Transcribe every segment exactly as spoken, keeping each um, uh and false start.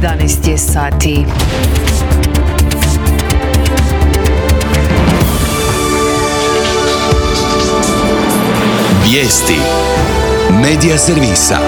jedanaest je sati. Vijesti Medija servisa.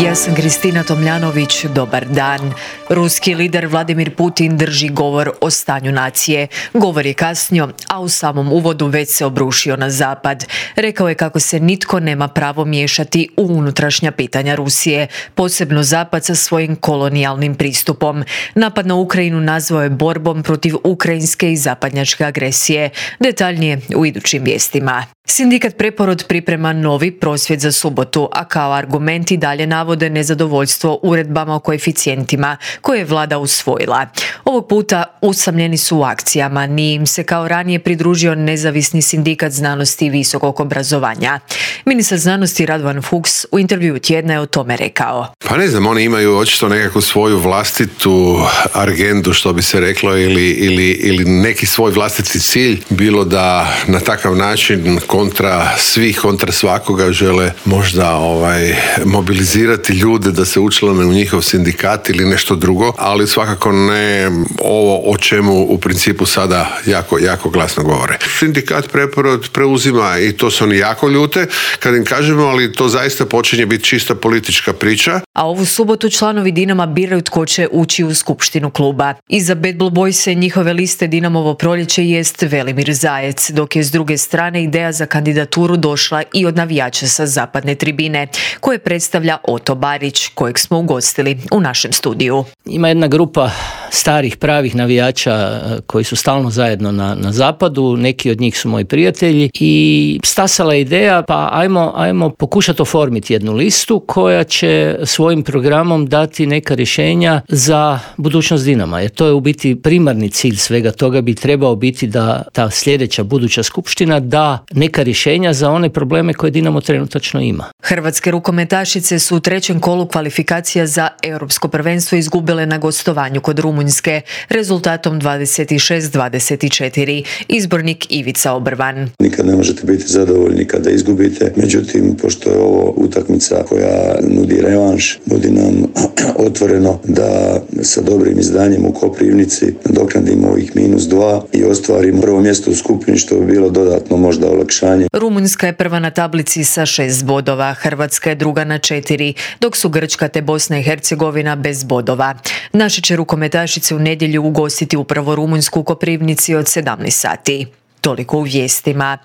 Ja sam Kristina Tomljanović, dobar dan. Ruski lider Vladimir Putin drži govor o stanju nacije. Govor je kasnio, a u samom uvodu već se obrušio na zapad. Rekao je kako se nitko nema pravo miješati u unutrašnja pitanja Rusije, posebno zapad sa svojim kolonijalnim pristupom. Napad na Ukrajinu nazvao je borbom protiv ukrajinske i zapadnjačke agresije. Detaljnije u idućim vijestima. Sindikat Preporod priprema novi prosvjed za subotu, a kao argumenti dalje navode nezadovoljstvo uredbama o koeficijentima koje je vlada usvojila. Ovog puta usamljeni su u akcijama, nije im se kao ranije pridružio nezavisni sindikat znanosti i visokog obrazovanja. Ministar znanosti Radovan Fuchs u intervjuu tjedna je o tome rekao. Pa ne znam, oni imaju očito nekakvu svoju vlastitu agendu, što bi se reklo, ili, ili, ili neki svoj vlastiti cilj, bilo da na takav način kontra svih, kontra svakoga žele možda ovaj, mobilizirati ljude da se učlane u njihov sindikat ili nešto drugo, ali svakako ne ovo o čemu u principu sada jako, jako glasno govore. Sindikat Preporod preuzima i to se oni jako ljute kad im kažemo, ali to zaista počinje biti čista politička priča. A ovu subotu članovi Dinama biraju tko će ući u skupštinu kluba. Iza Bad Blue Boysa i njihove liste Dinamovo proljeće jest Velimir Zajec, dok je s druge strane ideja za kandidaturu došla i od navijača sa zapadne tribine, koje predstavlja Oto Barić, kojeg smo ugostili u našem studiju. Ima jedna grupa starih pravih navijača koji su stalno zajedno na, na zapadu, neki od njih su moji prijatelji i stasala je ideja pa ajmo, ajmo pokušati oformiti jednu listu koja će svojim programom dati neka rješenja za budućnost Dinama, jer to je u biti primarni cilj svega toga, bi trebao biti da ta sljedeća buduća skupština da neka rješenja za one probleme koje Dinamo trenutačno ima. Hrvatske rukometašice su u trećem kolu kvalifikacija za europsko prvenstvo izgubile na gostovanju kod Rumunjske rezultatom dvadeset šest dvadeset četiri. Izbornik Ivica Obrvan. Nikad ne možete biti zadovoljni kada izgubite, međutim, pošto je ovo utakmica koja nudi revanš, nudi nam otvoreno da sa dobrim izdanjem u Koprivnici nadoknadimo ovih minus dva i ostvarimo prvo mjesto u skupini, što bi bilo dodatno možda olakšanje. Rumunjska je prva na tablici sa šest bodova, Hrvatska je druga na četiri, dok su Grčka te Bosna i Hercegovina bez bodova. Naše će rukometašice u nedjelju ugostiti upravo Rumunjsku u Koprivnici od sedamnaest sati. Toliko u vijestima.